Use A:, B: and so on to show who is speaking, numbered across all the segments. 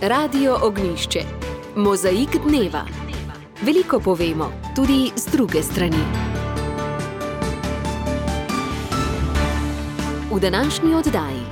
A: Radio Ognjišče. Mozaik dneva. Veliko povemo, tudi z druge strani. V današnji oddaji.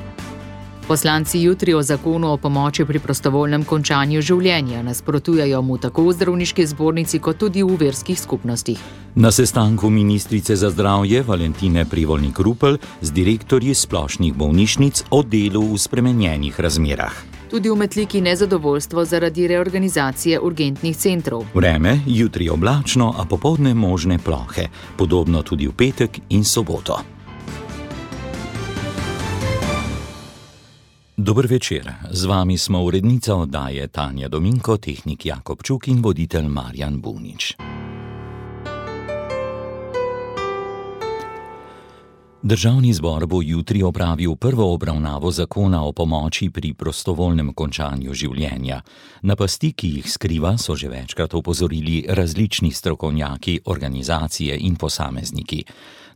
B: Poslanci jutri o zakonu o pomoči pri prostovoljnem končanju življenja nasprotujejo mu tako v zdravniški zbornici kot tudi v verskih skupnostih.
C: Na sestanku ministrice za zdravje Valentine Prevolnik-Rupel z direktorji splošnih bolnišnic o delu v spremenjenih razmerah.
B: Tudi v Metliki nezadovoljstvo zaradi reorganizacije urgentnih centrov.
C: Vreme jutri oblačno, a popoldne možne plohe, podobno tudi v petek in soboto. Dober večer, z vami smo urednica oddaje Tanja Dominko, tehnik Jakob Čuk in voditelj Marjan Bunič. Državni zbor bo jutri opravil prvo obravnavo zakona o pomoči pri prostovoljnem končanju življenja. Na pasti, ki jih skriva, so že večkrat opozorili različni strokovnjaki, organizacije in posamezniki.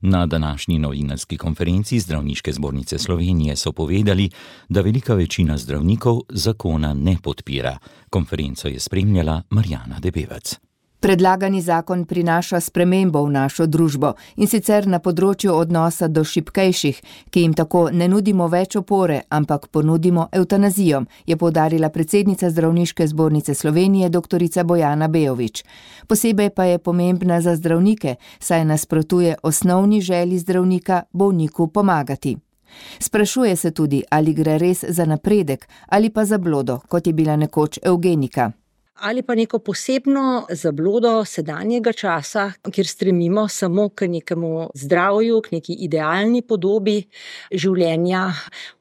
C: Na današnji novinarski konferenci Zdravniške zbornice Slovenije so povedali, da velika večina zdravnikov zakona ne podpira. Konferenco je spremljala Marjana Debevec.
D: Predlagani zakon prinaša spremembo v našo družbo in sicer na področju odnosa do šibkejših, ki jim tako ne nudimo več opore, ampak ponudimo evtanazijo, je poudarila predsednica Zdravniške zbornice Slovenije dr. Bojana Bejović. Posebej pa je pomembna za zdravnike, saj nasprotuje osnovni želji zdravnika bolniku pomagati. Sprašuje se tudi, ali gre res za napredek ali pa za zablodo, kot je bila nekoč evgenika.
E: Ali pa neko posebno zablodo sedanjega časa, kjer stremimo samo k nekemu zdravju, k neki idealni podobi življenja,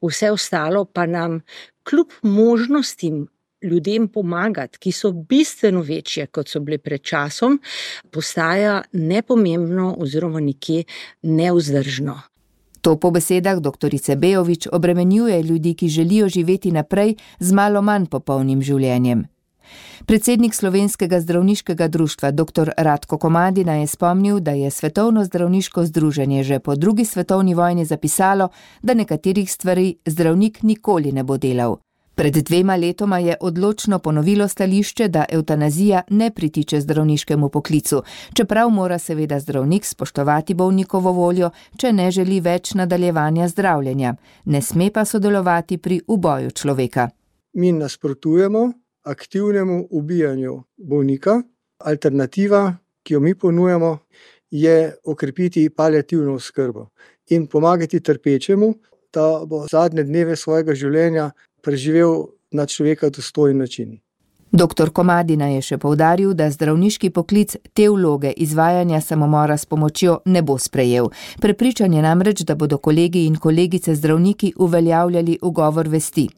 E: vse ostalo pa nam kljub možnostim ljudem pomagati, ki so bistveno večje, kot so bile pred časom, postaja nepomembno oziroma nekje nevzdržno.
D: To po besedah dr. Bejović obremenjuje ljudi, ki želijo živeti naprej z malo manj popolnim življenjem. Predsednik Slovenskega zdravniškega društva dr. Ratko Komadina je spomnil, da je Svetovno zdravniško združenje že po drugi svetovni vojni zapisalo, da nekaterih stvari zdravnik nikoli ne bo delal. Pred 2 letoma je odločno ponovilo stališče, da evtanazija ne pritiče zdravniškemu poklicu, čeprav mora seveda zdravnik spoštovati bolnikovo voljo, če ne želi več nadaljevanja zdravljenja. Ne sme pa sodelovati pri uboju človeka.
F: Mi nasprotujemo aktivnemu ubijanju bolnika. Alternativa, ki jo mi ponujamo, je okrepiti paliativno oskrbo in pomagati trpečemu, da bo zadnje dneve svojega življenja preživel na človeka dostojen način.
D: Dr. Komadina je še poudaril, da zdravniški poklic te vloge izvajanja samomora s pomočjo ne bo sprejel. Prepričan je namreč, da bodo kolegi in kolegice zdravniki uveljavljali ugovor vesti.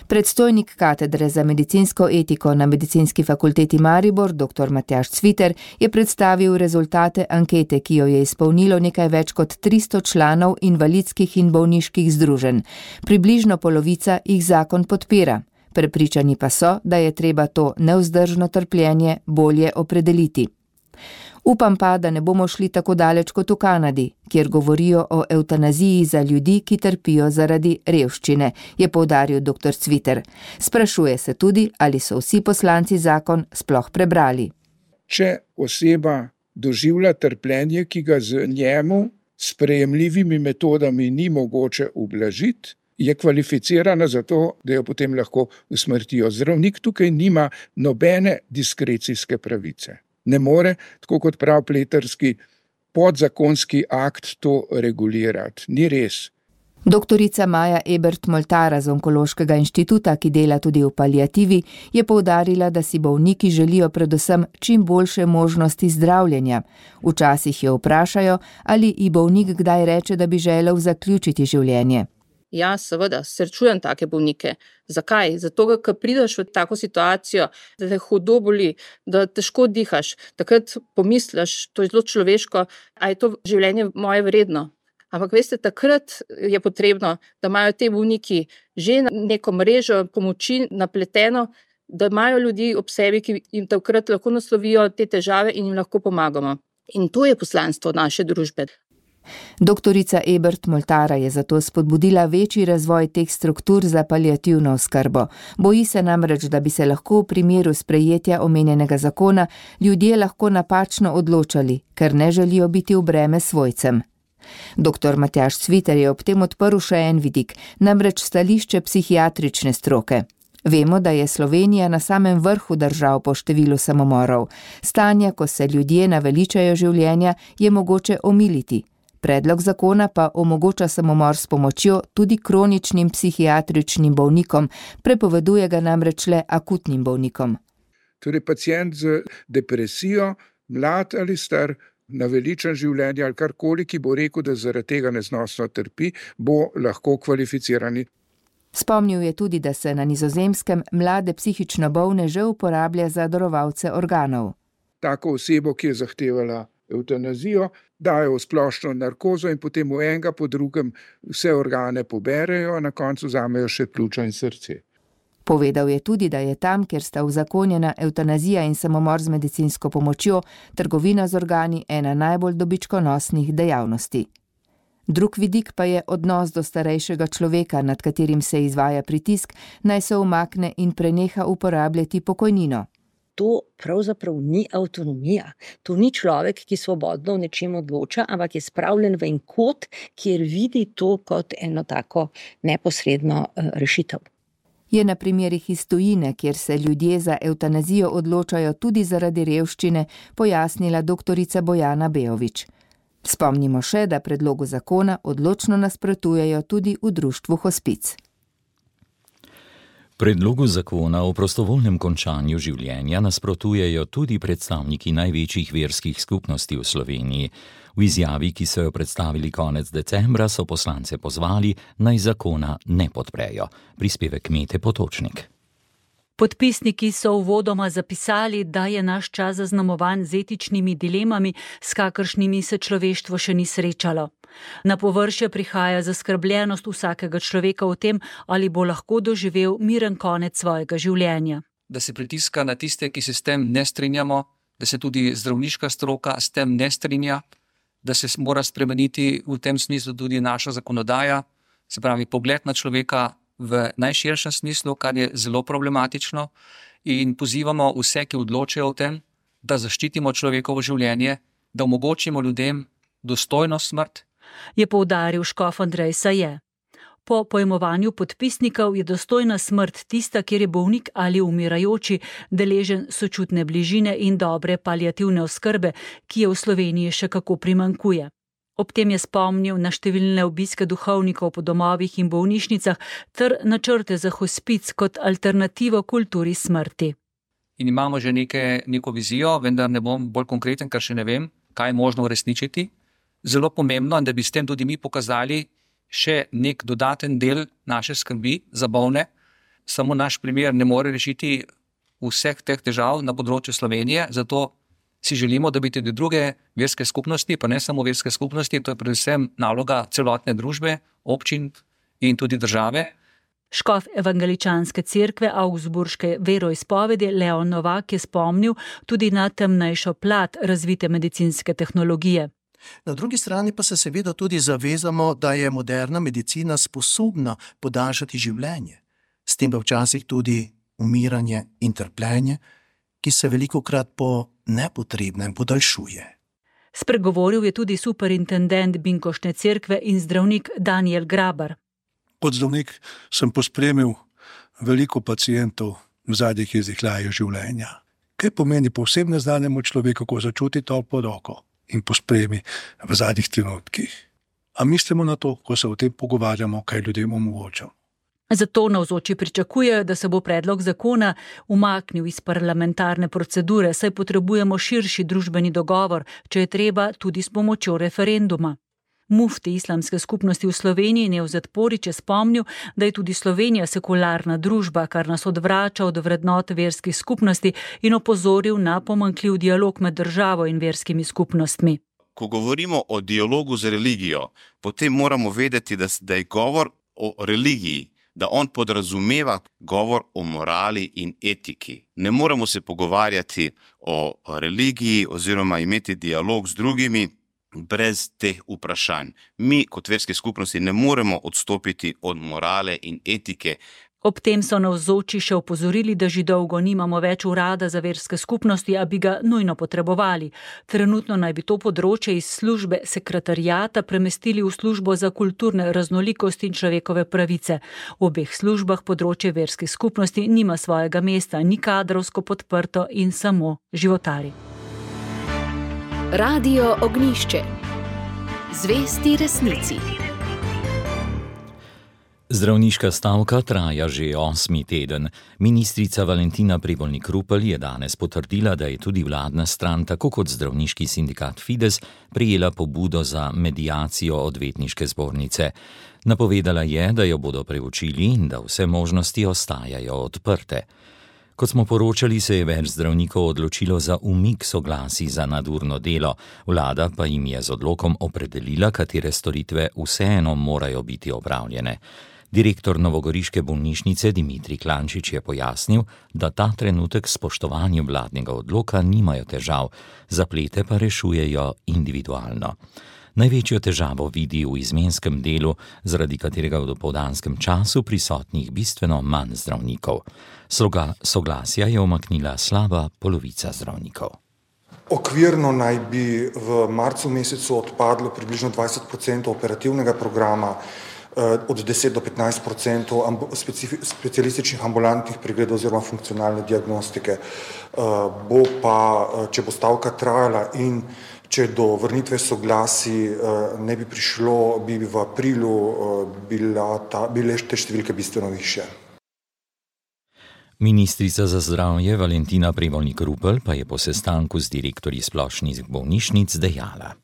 D: Predstojnik katedre za medicinsko etiko na Medicinski fakulteti Maribor, dr. Matjaž Cviter, je predstavil rezultate ankete, ki jo je izpolnilo nekaj več kot 300 članov invalidskih in bolniških združenj. Približno polovica jih zakon podpira. Prepričani pa so, da je treba to nevzdržno trpljenje bolje opredeliti. Upam pa, da ne bomo šli tako daleč kot v Kanadi, kjer govorijo o evtanaziji za ljudi, ki trpijo zaradi revščine, je poudaril dr. Cviter. Sprašuje se tudi, ali so vsi poslanci zakon sploh prebrali.
G: Če oseba doživlja trpljenje, ki ga z njemu sprejemljivimi metodami ni mogoče ublažiti, je kvalificirana za to, da jo potem lahko usmrtijo. Zdravnik tukaj nima nobene diskrecijske pravice. Ne more, tako kot prav pleterski podzakonski akt, to regulirati. Ni res.
D: Doktorica Maja Ebert-Moltara z Onkološkega inštituta, ki dela tudi v paliativi, je poudarila, da si bolniki želijo predvsem čim boljše možnosti zdravljenja. Včasih jo vprašajo, ali ji bolnik kdaj reče, da bi želel zaključiti življenje.
H: Ja, seveda, srečujem take bolnike. Zakaj? Zato, ker prideš v tako situacijo, da te hudo boli, da težko dihaš. Takrat pomisliš, to je zelo človeško, a je to življenje moje vredno. Ampak veste, takrat je potrebno, da imajo te bolniki že neko mrežo pomoči napleteno, da imajo ljudi ob sebi, ki jim takrat lahko naslovijo te težave in jim lahko pomagamo. In to je poslanstvo naše družbe.
D: Doktorica Ebert Moltara je zato spodbudila večji razvoj teh struktur za paliativno oskrbo. Boji se namreč, da bi se lahko v primeru sprejetja omenjenega zakona ljudje lahko napačno odločali, ker ne želijo biti v breme svojcem. Dr. Matjaž Cviter je ob tem odprl še en vidik, namreč stališče psihiatrične stroke. Vemo, da je Slovenija na samem vrhu držav po številu samomorov. Stanja, ko se ljudje naveličajo življenja, je mogoče omiliti. Predlog zakona pa omogoča samomor s pomočjo tudi kroničnim psihiatričnim bolnikom, prepoveduje ga namreč le akutnim bolnikom.
G: Torej, pacient z depresijo, mlad ali star, naveličan življenja ali karkoli, ki bo rekel, da zaradi tega neznosno trpi, bo lahko kvalificirani.
D: Spomnil je tudi, da se na Nizozemskem mlade psihično bolne že uporablja za darovalce organov.
G: Tako osebo, ki je zahtevala evtanazijo, dajo v splošno narkozo in potem v enega po drugem vse organe poberejo, na koncu vzamejo še pljuča in srce.
D: Povedal je tudi, da je tam, kjer sta uzakonjena evtanazija in samomor z medicinsko pomočjo, trgovina z organi ena najbolj dobičkonosnih dejavnosti. Drug vidik pa je odnos do starejšega človeka, nad katerim se izvaja pritisk, naj se umakne in preneha uporabljati pokojnino.
E: To pravzaprav ni avtonomija. To ni človek, ki svobodno v nečem odloča, ampak je spravljen v en kot, kjer vidi to kot eno tako neposredno rešitev.
D: Je na primerih iz tujine, kjer se ljudje za evtanazijo odločajo tudi zaradi revščine, pojasnila doktorica Bojana Bejovič. Spomnimo še, da predlogu zakona odločno nasprotujejo tudi v društvu Hospic.
C: Predlogu zakona o prostovoljnem končanju življenja nasprotujejo tudi predstavniki največjih verskih skupnosti v Sloveniji. V izjavi, ki so jo predstavili konec decembra, so poslance pozvali, naj zakona ne podprejo. Prispevek Mete Potočnik.
I: Podpisniki so uvodoma zapisali, da je naš čas zaznamovan z etičnimi dilemami, s kakršnimi se človeštvo še ni srečalo. Na površje prihaja zaskrbljenost vsakega človeka o tem, ali bo lahko doživel miren konec svojega življenja.
J: Da se pritiska na tiste, ki se s tem ne strinjamo, da se tudi zdravniška stroka s tem ne strinja, da se mora spremeniti v tem smislu tudi naša zakonodaja, se pravi pogled na človeka v najširšem smislu, kar je zelo problematično, in pozivamo vse, ki odločajo o tem, da zaščitimo človekovo življenje, da omogočimo ljudem dostojno smrt.
I: Je poudaril škof Andrej Saje. Po pojmovanju podpisnikov je dostojna smrt tista, kjer je bolnik ali umirajoči deležen sočutne bližine in dobre paliativne oskrbe, ki je v Sloveniji še kako primanjkuje. Ob tem je spomnil na številne obiske duhovnikov po domovih in bolnišnicah ter načrte za hospic kot alternativo kulturi smrti.
J: In imamo že neko vizijo, vendar ne bom bolj konkreten, ker še ne vem, kaj je možno uresničiti. Zelo pomembno, da bi s tem tudi mi pokazali še nek dodaten del naše skrbi za bolne. Samo naš primer ne more rešiti vseh teh težav na področju Slovenije, zato si želimo, da bi tudi druge verske skupnosti, pa ne samo verske skupnosti, to je predvsem naloga celotne družbe, občin in tudi države.
I: Škof evangeličanske cerkve Augsburške veroizpovedi Leon Novak je spomnil tudi na temnejšo plat razvite medicinske tehnologije.
K: Na drugi strani pa se seveda tudi zavezamo, da je moderna medicina sposobna podaljšati življenje. S tem pa včasih tudi umiranje in trpljenje, ki se velikokrat po nepotrebnem podaljšuje.
I: Spregovoril je tudi superintendent Binkoštne cerkve in zdravnik Daniel Grabar.
L: Kot zdravnik sem pospremil veliko pacientov v zadnjih izdihljajo življenja. Kaj pomeni povsem neznanemu človeku, ko začuti toplo roko in pospremi v zadnjih trenutkih? A mislimo na to, ko se o tem pogovarjamo, kaj ljudem omogočamo?
I: Zato navzoči pričakujejo, da se bo predlog zakona umaknil iz parlamentarne procedure, saj potrebujemo širši družbeni dogovor, če je treba tudi s pomočjo referenduma. Mufti islamske skupnosti v Sloveniji Nevzet Porić je spomnil, da je tudi Slovenija sekularna družba, kar nas odvrača od vrednot verskih skupnosti in opozoril na pomanjkljiv dialog med državo in verskimi skupnostmi.
M: Ko govorimo o dialogu z religijo, potem moramo vedeti, da je govor o religiji, da on podrazumeva govor o morali in etiki. Ne moramo se pogovarjati o religiji oziroma imeti dialog z drugimi, brez teh vprašanj. Mi kot verske skupnosti ne moremo odstopiti od morale in etike.
I: Ob tem so navzoči še opozorili, da že dolgo nimamo več urada za verske skupnosti, a bi ga nujno potrebovali. Trenutno naj bi to področje iz službe sekretariata premestili v službo za kulturne raznolikosti in človekove pravice. V obeh službah področje verskih skupnosti nima svojega mesta, ni kadrovsko podprto in samo životari.
A: Radio Ognjišče. Zvesti resnici.
C: Zdravniška stavka traja že 8. teden. Ministrica Valentina Prevolnik-Rupel je danes potrdila, da je tudi vladna stran, tako kot zdravniški sindikat Fides, prejela pobudo za mediacijo odvetniške zbornice. Napovedala je, da jo bodo preučili in da vse možnosti ostajajo odprte. Kot smo poročali, se je več zdravnikov odločilo za umik soglasij za nadurno delo, vlada pa jim je z odlokom opredelila, katere storitve vseeno morajo biti opravljene. Direktor novogoriške bolnišnice Dimitrij Klančič je pojasnil, da ta trenutek s spoštovanjem vladnega odloka nimajo težav, zaplete pa rešujejo individualno. Največjo težavo vidi v izmenskem delu, zaradi katerega v dopoldanskem času prisotnih bistveno manj zdravnikov. Soglasja je umaknila slaba polovica zdravnikov.
N: Okvirno naj bi v marcu mesecu odpadlo približno 20% operativnega programa, od 10 do 15% specialističnih ambulantnih pregledov oziroma funkcionalne diagnostike. Bo pa, če bo stavka trajala in če do vrnitve soglasij ne bi prišlo, bi v aprilu bile te številke bistveno višje.
C: Ministrica za zdravje Valentina Prevolnik-Rupel pa je po sestanku z direktorji splošnih bolnišnic dejala.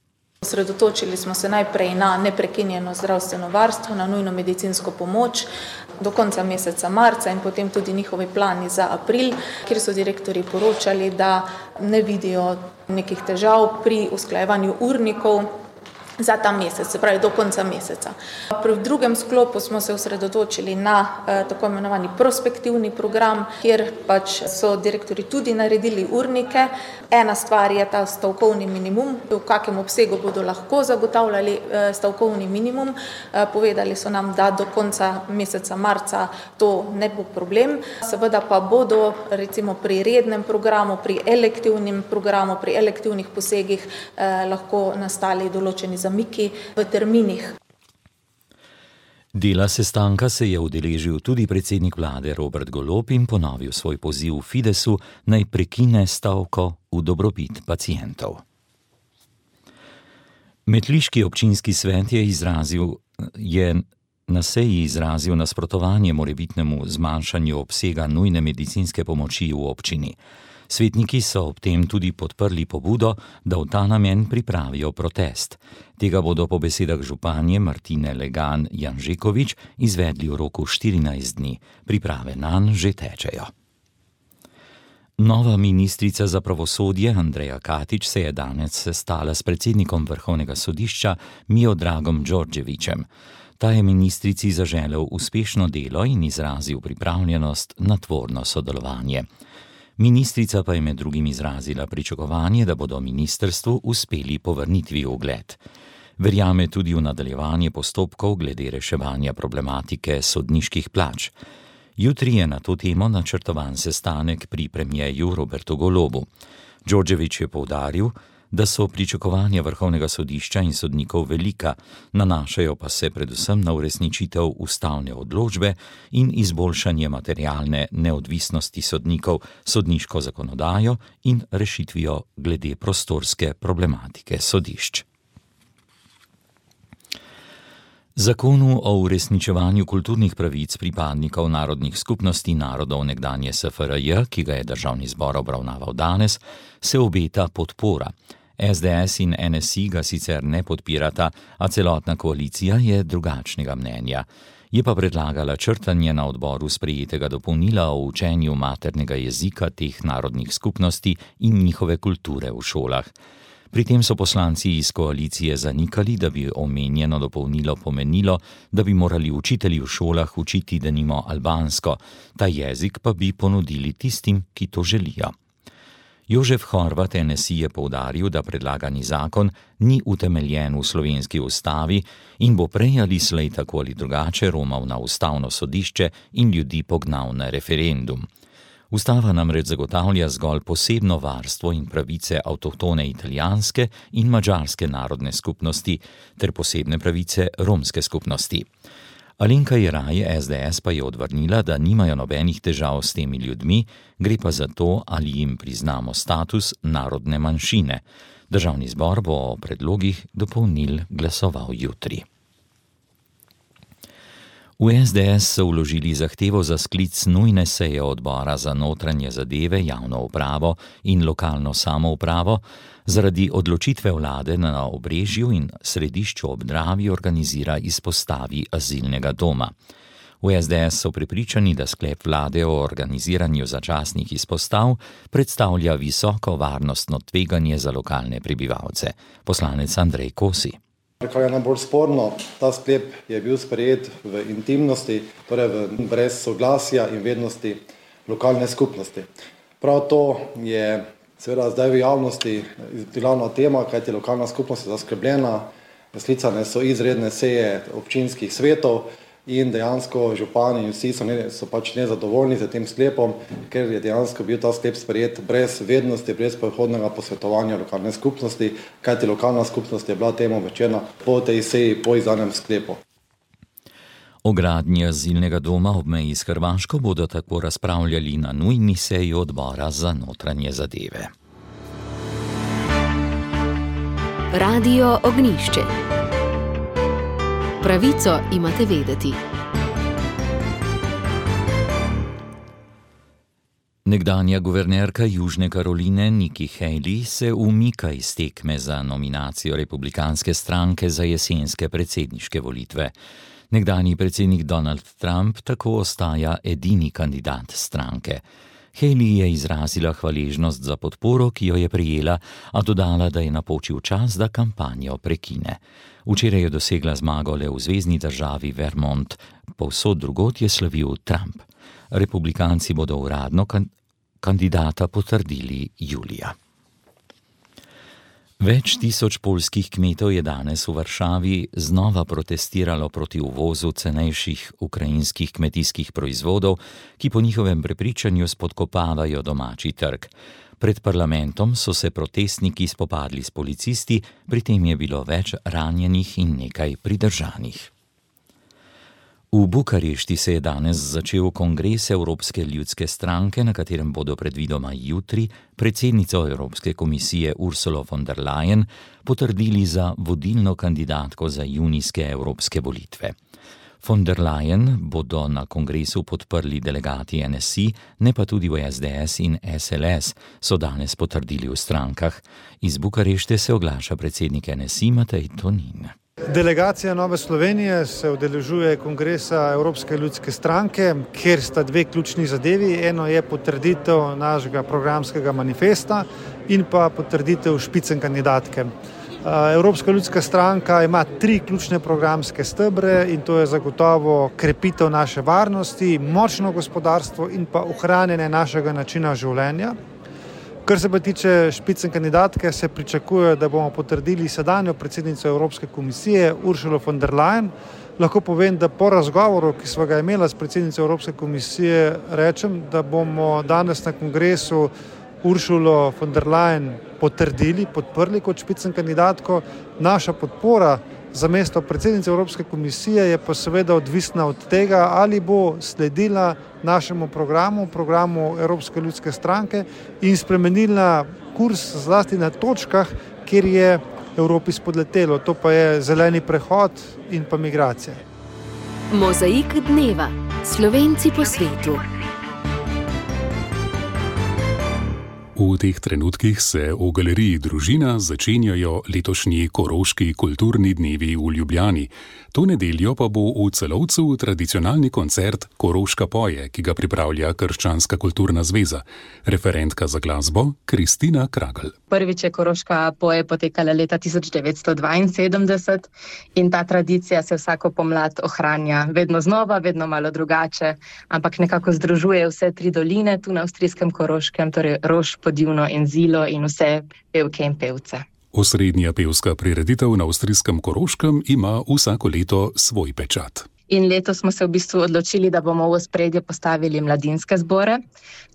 O: Osredotočili smo se najprej na neprekinjeno zdravstveno varstvo, na nujno medicinsko pomoč do konca meseca marca in potem tudi njihovi plani za april, kjer so direktorji poročali, da ne vidijo nekih težav pri usklajevanju urnikov za ta mesec, se pravi do konca meseca. Pri drugem sklopu smo se osredotočili na tako imenovani prospektivni program, kjer pač so direktorji tudi naredili urnike. Ena stvar je ta stavkovni minimum, v kakem obsegu bodo lahko zagotavljali stavkovni minimum. Povedali so nam, da do konca meseca marca to ne bo problem. Seveda pa bodo recimo pri rednem programu, pri elektivnem programu, pri elektivnih posegih lahko nastali določeni zamiki v terminih.
C: Dela sestanka se je udeležil tudi predsednik vlade Robert Golob in ponovil svoj poziv Fidesu, naj prekine stavko v dobrobit pacientov. Metliški občinski svet je na seji izrazil nasprotovanje morebitnemu zmanjšanju obsega nujne medicinske pomoči v občini. Svetniki so ob tem tudi podprli pobudo, da v ta namen pripravijo protest. Tega bodo po besedah županje Martine Legan Janžekovič izvedli v roku 14 dni. Priprave nanj že tečejo. Nova ministrica za pravosodje Andreja Katič se je danes sestala s predsednikom Vrhovnega sodišča Miodragom Đorđevićem. Ta je ministrici zaželel uspešno delo in izrazil pripravljenost na tvorno sodelovanje. Ministrica pa je med drugim izrazila pričakovanje, da bodo ministrstvu uspeli povrnitvi ugled. Verjame tudi v nadaljevanje postopkov glede reševanja problematike sodniških plač. Jutri je na to temo načrtovan sestanek pri premierju Robertu Golobu. Đorđević je poudaril, da so pričakovanja Vrhovnega sodišča in sodnikov velika, nanašajo pa se predvsem na uresničitev ustavne odločbe in izboljšanje materialne neodvisnosti sodnikov, sodniško zakonodajo in rešitvijo glede prostorske problematike sodišč. Zakonu o uresničevanju kulturnih pravic pripadnikov narodnih skupnosti narodov nekdanje SFRJ, ki ga je Državni zbor obravnaval danes, se obeta podpora. SDS in NSI ga sicer ne podpirata, a celotna koalicija je drugačnega mnenja. Je pa predlagala črtanje na odboru sprejetega dopolnila o učenju maternega jezika teh narodnih skupnosti in njihove kulture v šolah. Pri tem so poslanci iz koalicije zanikali, da bi omenjeno dopolnilo pomenilo, da bi morali učitelji v šolah učiti denimo albansko, ta jezik pa bi ponudili tistim, ki to želijo. Jožef Horvat NSI je poudaril, da predlagani zakon ni utemeljen v slovenski ustavi in bo prej ali slej tako ali drugače romal na ustavno sodišče in ljudi pognal na referendum. Ustava namreč zagotavlja zgolj posebno varstvo in pravice avtohtone italijanske in madžarske narodne skupnosti ter posebne pravice romske skupnosti. Alenka Jeraj, SDS, pa je odvrnila, da nimajo nobenih težav s temi ljudmi, gre pa za to, ali jim priznamo status narodne manjšine. Državni zbor bo o predlogih dopolnil glasoval jutri. V SDS so vložili zahtevo za sklic nujne seje odbora za notranje zadeve, javno upravo in lokalno samoupravo zaradi odločitve vlade na Obrežju in Središču ob Dravi organizira izpostavi azilnega doma. V SDS so prepričani, da sklep vlade o organiziranju začasnih izpostav predstavlja visoko varnostno tveganje za lokalne prebivalce. Poslanec Andrej Kosi.
P: Kar je najbolj sporno, ta sklep je bil sprejet v intimnosti, torej brez soglasja in vednosti lokalne skupnosti. Prav to je seveda zdaj v javnosti glavna tema, kajti lokalna skupnost je zaskrbljena, sklicane so izredne seje občinskih svetov in dejansko župani in vsi so pač nezadovoljni z tem sklepom, ker je dejansko bil ta sklep sprejet brez vednosti, brez predhodnega posvetovanja lokalne skupnosti, kajti lokalna skupnost je bila temu obveščena po tej seji, po izdanem sklepu.
C: O gradnji azilnega doma ob meji s Hrvaško bodo tako razpravljali na nujni seji odbora za notranje zadeve.
A: Radio Ognjišče. Pravico imate vedeti.
C: Nekdanja guvernerka Južne Karoline Nikki Haley se umika iz tekme za nominacijo republikanske stranke za jesenske predsedniške volitve. Nekdanji predsednik Donald Trump tako ostaja edini kandidat stranke. Haley je izrazila hvaležnost za podporo, ki jo je prejela, a dodala, da je napočil čas, da kampanjo prekine. Včeraj je dosegla zmago le v zvezni državi Vermont, povsod drugod je slavil Trump. Republikanci bodo uradno kandidata potrdili julija. Več tisoč poljskih kmetov je danes v Varšavi znova protestiralo proti uvozu cenejših ukrajinskih kmetijskih proizvodov, ki po njihovem prepričanju spodkopavajo domači trg. Pred parlamentom so se protestniki spopadli s policisti, pri tem je bilo več ranjenih in nekaj pridržanih. V Bukarešti se je danes začel kongres Evropske ljudske stranke, na katerem bodo predvidoma jutri predsednico Evropske komisije Ursulo von der Leyen potrdili za vodilno kandidatko za junijske evropske volitve. Von der Leyen bodo na kongresu podprli delegati NSI, ne pa tudi v SDS in SLS, so danes potrdili v strankah. Iz Bukarešte se oglaša predsednik NSI Matej Tonin.
Q: Delegacija Nove Slovenije se udeležuje kongresa Evropske ljudske stranke, kjer sta dve ključni zadevi. Eno je potrditev našega programskega manifesta in pa potrditev špicen kandidatke. Evropska ljudska stranka ima 3 ključne programske stebre in to je zagotovo krepitev naše varnosti, močno gospodarstvo in pa ohranjanje našega načina življenja. Kar se pa tiče špicen kandidatke, se pričakuje, da bomo potrdili sedanjo predsednico Evropske komisije Ursulo von der Leyen. Lahko povem, da po razgovoru, ki sva ga imela s predsednico Evropske komisije, rečem, da bomo danes na kongresu Ursulo von der Leyen podprli kot špicen kandidatko. Naša podpora za mesto predsednice Evropske komisije je pa seveda odvisna od tega, ali bo sledila našemu programu Evropske ljudske stranke in spremenila kurs zlasti na točkah, kjer je Evropi spodletelo. To pa je zeleni prehod in pa migracije.
A: Mozaik dneva. Slovenci po svetu.
R: V teh trenutkih se v galeriji Družina začenjajo letošnji Koroški kulturni dnevi v Ljubljani. To nedeljo pa bo v Celovcu tradicionalni koncert Koroška poje, ki ga pripravlja Krščanska kulturna zveza. Referentka za glasbo Kristina Kragl.
S: Prvič je Koroška poje potekala leta 1972 in ta tradicija se vsako pomlad ohranja. Vedno znova, vedno malo drugače, ampak nekako združuje vse 3 doline tu na avstrijskem Koroškem, torej Roš, Podivno in Zilo in vse pevke in pevce.
R: Osrednja pevska prireditev na avstrijskem Koroškem ima vsako leto svoj pečat.
S: In letos smo se v bistvu odločili, da bomo v ospredje postavili mladinske zbore.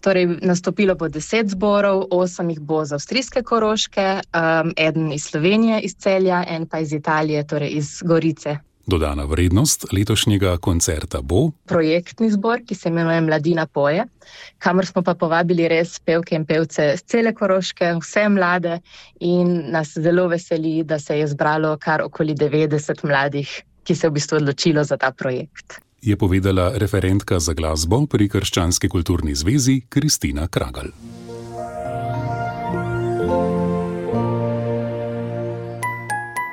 S: Torej, nastopilo bo 10 zborov, 8 jih bo z avstrijske Koroške, eden iz Slovenije, iz Celja, en pa iz Italije, torej iz Gorice.
R: Dodana vrednost letošnjega koncerta bo
S: projektni zbor, ki se imenuje Mladina poje, kamor smo pa povabili res pevke in pevce z cele Koroške, vse mlade, in nas zelo veseli, da se je zbralo kar okoli 90 mladih, ki se je v bistvu odločilo za ta projekt.
R: Je povedala referentka za glasbo pri Krščanski kulturni zvezi Kristina Kragelj.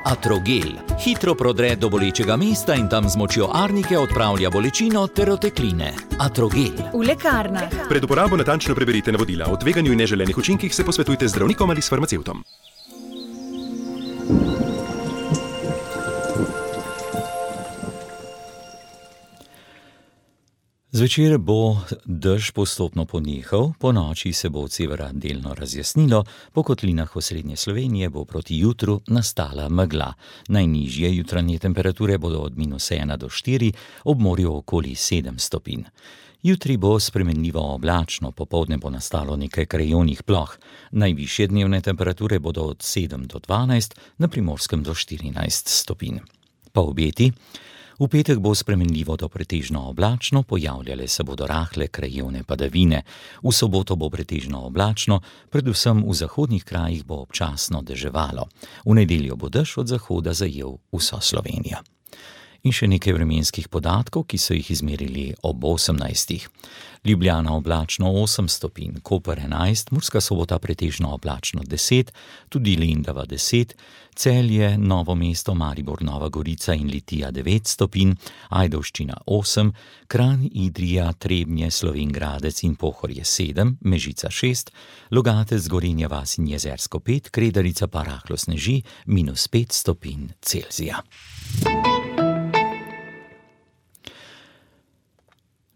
C: Atrogel hitro prodre do bolečega mesta in tam z močjo arnike odpravlja bolečino ter otekline. Atrogel.
T: V lekarnah.
U: Pred uporabo natančno preberite navodila. O tveganju in neželenih učinkih se posvetujte z zdravnikom ali s farmacevtom.
C: Zvečer bo dež postopno ponehal, po noči se bo od severa delno razjasnilo, po kotlinah osrednje Slovenije bo proti jutru nastala megla. Najnižje jutranje temperature bodo od -1 do 4, ob morju okoli 7 stopinj. Jutri bo spremenljivo oblačno, popoldne bo nastalo nekaj krajevnih ploh. Najvišje dnevne temperature bodo od 7 do 12, na Primorskem do 14 stopinj. Pa obeti. V petek bo spremenljivo do pretežno oblačno, pojavljale se bodo rahle krajevne padavine. V soboto bo pretežno oblačno, predvsem v zahodnih krajih bo občasno deževalo. V nedeljo bo dež od zahoda zajel vso Slovenijo. In še nekaj vremenskih podatkov, ki so jih izmerili ob 18. Ljubljana oblačno 8 stopinj, Koper 11, Murska Sobota pretežno oblačno 10, tudi Lendava 10, Celje, Novo mesto, Maribor, Nova Gorica in Litija 9 stopinj, Ajdovščina 8, Kranj, Idrija, Trebnje, Slovenj Gradec in Pohorje 7, Mežica 6, Logatec, Gorenja vas in Jezersko 5, Kredarica pa rahlo sneži, -5 stopinj Celzija.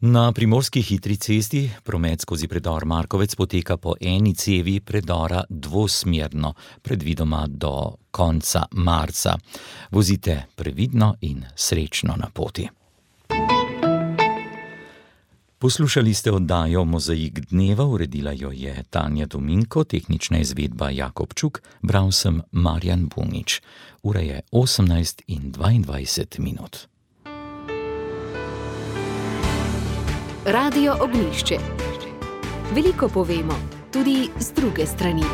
C: Na primorski hitri cesti promet skozi predor Markovec poteka po eni cevi predora dvosmerno, predvidoma do konca marca. Vozite previdno in srečno na poti. Poslušali ste oddajo Mozaik dneva, uredila jo je Tanja Dominko, tehnična izvedba Jakob Čuk, bral sem Marjan Bunič. Ura je 18:22.
A: Radio Ognjišče. Veliko povemo, tudi z druge strani.